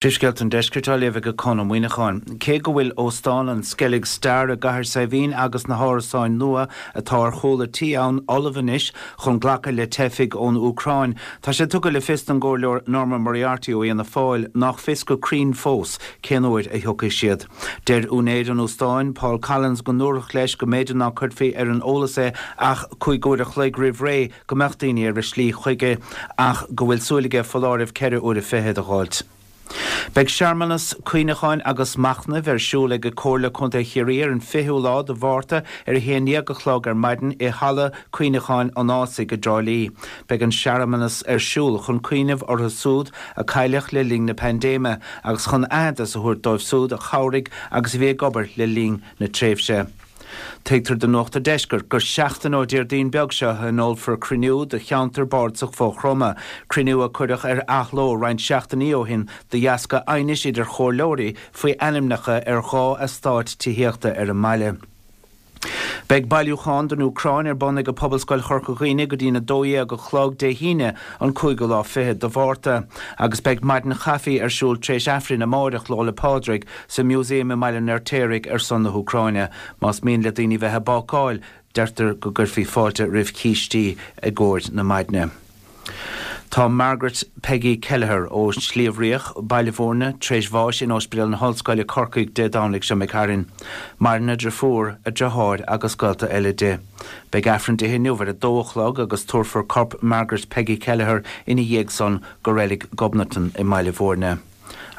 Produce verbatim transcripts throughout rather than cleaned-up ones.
Príomhscéalta an Deiscirt á léamh ag Conn Ó Muíneacháin. Cé go bhfuil Óstán an Skellig Star i gCathair Saidhbhín agus na hárasáin nua atá ar chúl a tí ann ullamh anois chun glacadh le teifigh ón Úcráin, tá sé tugtha le fios don gComhairleoir Norma Moriarty ó Fhianna Fáil nach fios go cruinn fós cén uair a thiocfaidh siad. Deir úinéir an óstáin, Paul Collins, go ndúradh leis go mb'fhéidir ná cuirfí ar an eolas é ach cúig uair a chloig roimh ré go mbeadh daoine ar a slí chuige ach go bhfuil súil aige foláireamh ceithre uaire fichead a dh'fháilt. Beidh searmanas cuimhneacháin agus machnaimh ar siúl ag Comhairle Contae Chiarraí ar an fichiú lá de Mhárta ar a haon déag a chlog ar maidin i Halla Cuimhneacháin an Ásaigh i dTrá Lí. Beidh an searmanas ar siúl chun cuimhneamh orthu súd a cailleadh le linn na paindéime agus chun aitheantas a thabhairt dóibh súd a chabhraigh agus a bhí ag obair le linn na tréimhse. Tuigtear do Nuacht an Deiscirt gur seachtain ó Déardaoin beag seo a thionólfar cruinniú de cheantar bardasach Mhaigh Chromtha, cruinniú a cuireadh ar athló roinnt seachtainí ó shin de dheasca aighnis idir chomhairleoirí faoi ainmneacha ar dhá eastát tithíochta ar an mbaile. Beidh bailiúchán don Úcráin ar bun ag Pobalscoil Chorca Dhuibhne go dtí'n a dó dhéag a chlog Dé hAoine an cúigiú lá fichead de Mhárta agus beidh maidin chaife ar siúl tar éis Aifrinn amáireach Lá 'le Pádraig sa Museum i mBaile an Fheirtéaraigh ar son na hÚcráine. Más mian le daoine bheith ag bácáil, deirtear go gcuirfí fáilte roimh chístí i gcomhair na maidne. Tá Margaret Peggy Kelleher ó Shliabh Riach, Baile Bhúirne, tar éis bháis in Ospidéal na hOllscoile Corcaigh Dé Domhnaigh seo imigh tharainn. Maireann a deirfiúr, a deartháir agus gaolta eile di. Beidh Aifreann di inniu ar a dó a chlog agus tabharfar corp Margaret Peggy Kelleher ina dhiaidh san go reilig Ghobnatan i mBaile Bhúirne.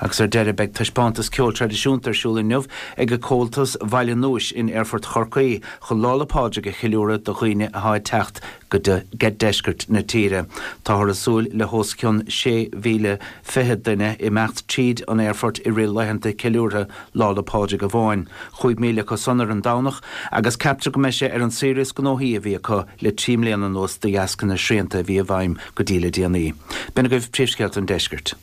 Agus ar deireadh beidh taispeántas ceol traidisiúnta ar siúl inniu ag Comhaltas Bhaile Núis in Aerfort Chorcaí chun Lá 'le Pádraig a cheiliúradh do dhaoine atá ag teacht go deisceart na tíre. Táthar ag súil le hos cionn sé mhíle fiche duine imeacht tríd an aerfort i rith laethanta ceiliúrtha Lá 'le Pádraig amháin. Chúig míle acu san ar an Domhnach agus ceaptar go mbeidh sé ar an saoire is gnóthaí a bhí acu le trí mbliana anuas de dheasca na srianta a bhí i bhfeidhm go dtí le déanaí. B'in agaibh príomhscéalta an deiscirt.